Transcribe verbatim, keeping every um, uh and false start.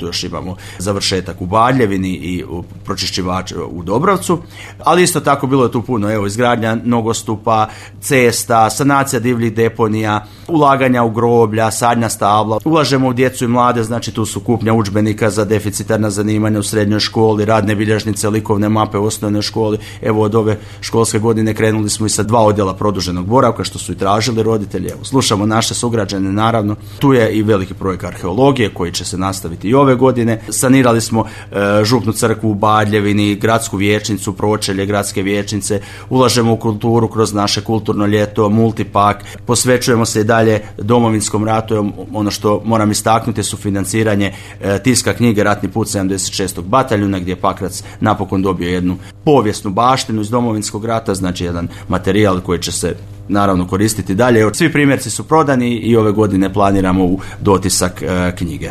Tu još imamo završetak u Baljevini i pročišćivač u Dobrovcu, ali isto tako bilo je tu puno, evo, izgradnja nogostupa, cesta, sanacija divljih deponija, ulaganja u groblja, sadnja stabla, ulažemo u djecu i mlade, znači tu su kupnja udžbenika za deficitarna zanimanja u srednjoj školi, radne bilježnice, likovne mape u osnovnoj školi. Evo, od ove školske godine krenuli smo i sa dva odjela produženog boravka, što su i tražili roditelji. Evo, slušamo naše sugrađane, naravno. Tu je i veliki projekt arheologije koji će se nastaviti i ove godine. Sanirali smo e, župnu crkvu u Badljevini, gradsku vijećnicu, pročelje gradske vijećnice, ulažemo u kulturu kroz naše kulturno ljeto, multipak, posvećujemo se i dalje Domovinskom ratu. Ono što moram istaknuti su financiranje e, tiska knjige Ratni put sedamdeset šestog bataljuna, gdje je Pakrac napokon dobio jednu povijesnu baštinu iz Domovinskog rata, znači jedan materijal koji će se naravno koristiti dalje. Svi primjerci su prodani i ove godine planiramo u dotisak e, knjige.